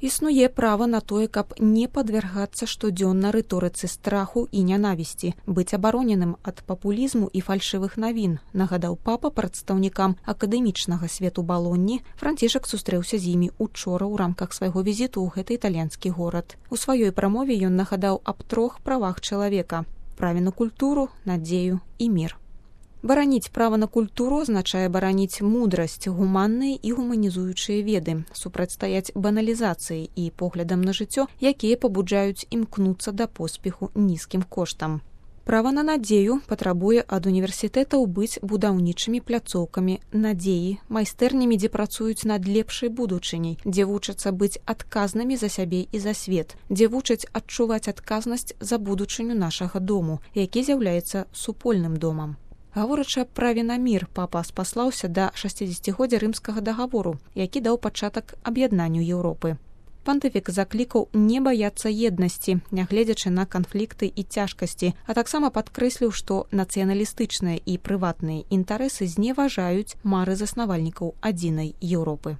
Існуе права на тое, каб не падвяргацца штодзённа рыторыцы страху і нянавісці, быць абароненым ад папулізму і фальшывых навін, нагадаў папа прадстаўнікам акадэмічнага свету Балонні. Францішак сустрэўся з імі учора ў рамках свайго візіту ў гэты італьянскі горад. У сваёй прамове ён нагадаў аб 3 правах чалавека: праве на культуру, надзею і мір. Бараніць права на культуру азначае бараніць мудрасць, гуманныя і гуманізуючыя веды, супрацьстаяць баналізацыі і поглядам на жыццё, якія пабуджаюць імкнуцца да поспеху нізкім коштам. Права на надзею патрабуе ад універсітэтаў быць будаўнічымі пляцоўкамі надзеі, майстэрнямі, дзе працуюць над лепшай будучыняй, дзе вучацца быць адказнымі за сябе і за свет, дзе вучаць адчуваць адказнасць за будучыню нашага дому, які з'яўляецца супольным домам. Гаворачы аб праве на мір, папа спаслаўся да 60-годдзя рымскага дагавору, які даў пачатак аб'яднанню Еўропы. Пантыфік заклікаў не баяцца еднасці, нягледзячы на канфлікты і цяжкасці, а таксама падкрэсліў, што нацыяналістычныя і прыватныя інтарэсы зневажаюць мары заснавальнікаў адзінай Еўропы.